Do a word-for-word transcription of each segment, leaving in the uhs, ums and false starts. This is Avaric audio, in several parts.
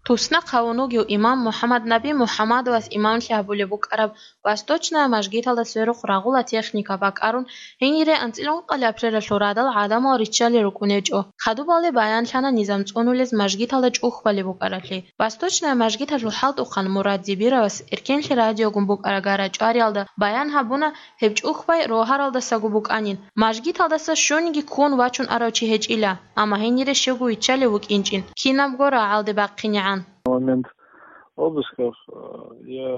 Туснахъ гьавун вугев имам МухӀаммаднаби МухӀаммадовас имамлъи гьабулеб букӀараб Восточная мажгиталда сверухъ рагъула техника бакӀарун, гьенире анцӀила ункъалъ апрелалъул радал гӀадамал риччалел рукӀун гьечӀо. Хадубалде баянлъана низам цӀунулез мажгиталда чӀухбалеб букӀаралъе. Восточная мажгиталъул хӀалтӀухъан Мурад Зибировас эркенлъи радиогун букӀарагара чӀвариялда баян гьабуна, гьеб чӀухбай рогьаралдасаго букӀанин, мажгиталдаса щуниги ккун вачун арав чи гьечӀила, амма гьенире щивго виччалев вукӀинчӀин, кинабго рагӀалде бахъинегӀан. Момент обысков, э, я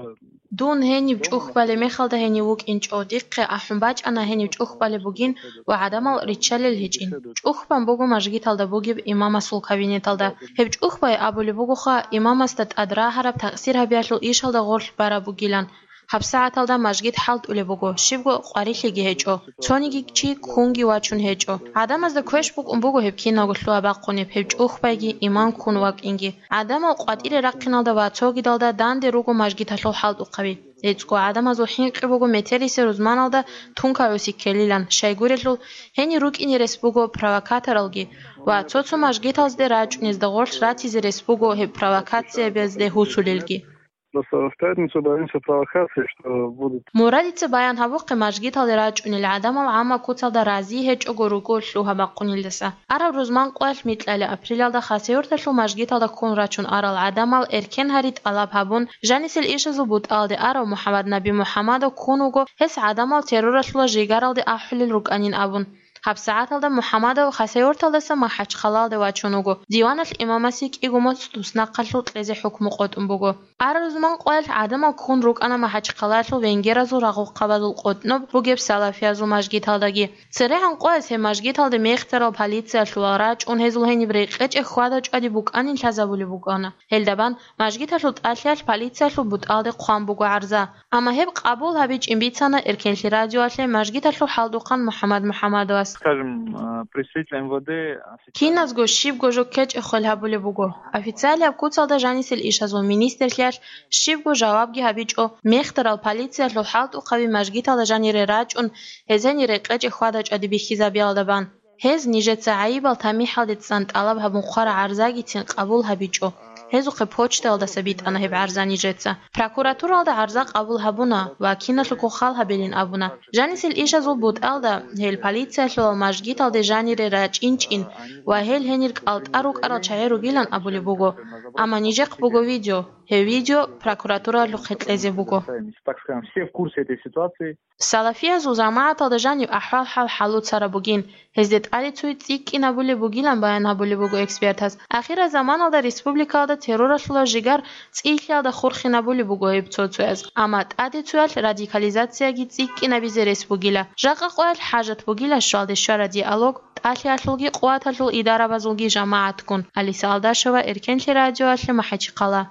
Дун гьениб чӀухбалеб мехалда гьенив вукӀинчӀо, дихъе ахӀун бачӀана гьенив чӀухбалеб бугин ва гӀадамал риччалел гьечӀин. ЧӀухбан буго мажгиталда бугеб имамасул кабинеталда. Гьеб чӀухбай абулеб бугоха, имамасда тӀад рагьараб такъсир гьабиялъул ишалда гъорлъ бараб бугилан. ГьабсагӀаталда мажгит хӀалтӀулеб буго, щибго къварилъиги гьечӀо, цониги чи ккунги вачун гьечӀо. ГӀадамазда квеш букӀун буго гьеб киналго лъугьа-бахъунеб, гьеб чӀухбайги имам ккун вакӀинги. ГӀадамал къватӀире рахъиналда ва цогидалда данде руго мажгиталъул хӀалтӀухъаби. ГӀицӀго гӀадамазул хӀинкъи буго метерисел рузманалда тункаби сиккелилан, щайгурелъул, гьенир рукӀине рес буго провокаторалги ва цо-цо мажгиталзде рачӀунезда гъорлъ ратизе рес буго гьеб провокациябазде гьусулелги. Просто в пятницу боимся провокации, что будут. Мурадица баян гьабухъе мажгиталде рачӀунел гӀадамал гӀамма куцалда рази гьечӀого руго лъугьа-бахъунелдаса. Араб рузман къоялъ микьали апрелалда Хасавюрталъул мажгиталда ккун рачун арал гӀадамал эркен гьари тӀалаб гьабун, жанисел ишазул бутӀалде арав МухӀаммаднаби МухӀаммадов ккун вуго, гьес гӀадамал терроралъула жигаралде ахӀулел рукӀанин абун. ГьабсагӀаталда МухӀаммадов Хасавюрталдаса МахӀачхъалаялде вачун вуго. Диваналъ имамасе кӀиго моцӀ туснахъалъул кьезе хӀукму къотӀун буго. Араб рузман къоялъ гӀадамал ккун рукӀана МахӀачхъалаялъул венгеразул рагъухъабазул къотӀноб бугеб салафиязул мажгиталдаги. ЦерегӀан къояз гьеб мажгиталде мехтарал полициялъувал рачӀун гьезул гьениб рекъечӀеб хьвада-чӀвади букӀанин лъазабулеб букӀана. Гьелдабан мажгиталъул тӀалъиялъ полициялъул бутӀалде хъван буго гӀарза. Амма гьеб къабул гьабичӀин бицана эркенлъи радиоялъе мажгиталъул хӀалтӀухъан МухӀаммад МухӀаммадовас. Скажем, э, представитель МВД официально Киназго щибго жо ккечӀеб хвел гьабулеб буго. Официалияб куцалда жанисел ишазул министрлъиялъ щибго жавабги гьабичӀо, мехтарал полициялъул хӀалтӀухъаби мажгиталда жанире рачӀун, гьез гьенир рекъечӀеб хьвада-чӀвади бихьизабиялда бан. Гьез нижеца гӀайибал тамихӀалде цӀан тӀалаб гьабун хъвараб гӀарзагицин къабул гьабичӀо. Гьезухъе почтаялдаса битӀана гьеб гӀарза нижеца. Прокуратуралда гӀарза къабул гьабуна ва киналъухъ хал гьабилин абуна. Жанисел ишазул бутӀалда гьел полициялъулал мажгиталде жанире рачӀинчӀин ва гьел гьенир кӀалтӀа рукӀарал чагӀи ругилан абулеб буго. Амма нижехъ буго видео. Гьеб видео прокуратуралъухъе кьезе буго. Так скажем, все в курсе этой ситуации. Салафиязул жамагӀаталда жанив ахӀвал-хӀал хӀалуцараб бугин, гьезде тӀаде цуй цӀикӀкӀинабулеб бугилан баян гьабулеб буго экспертаз. Ахирал заманалда республикалда терроралъула жигар цӀилъиялда хурхинабулеб буго гьеб цо-цояз, амма тӀаде цоялъ радикализацияги цӀикӀкӀинабизе рес бугила. Жакъа къоялъ хӀажат бугила щвалде щвара диалог, тӀалъиялъулги къуваталъул идарабазулги жамагӀатгун. Алиса Алдашева, Эркенлъи радиоялъе, МахӀачхъала.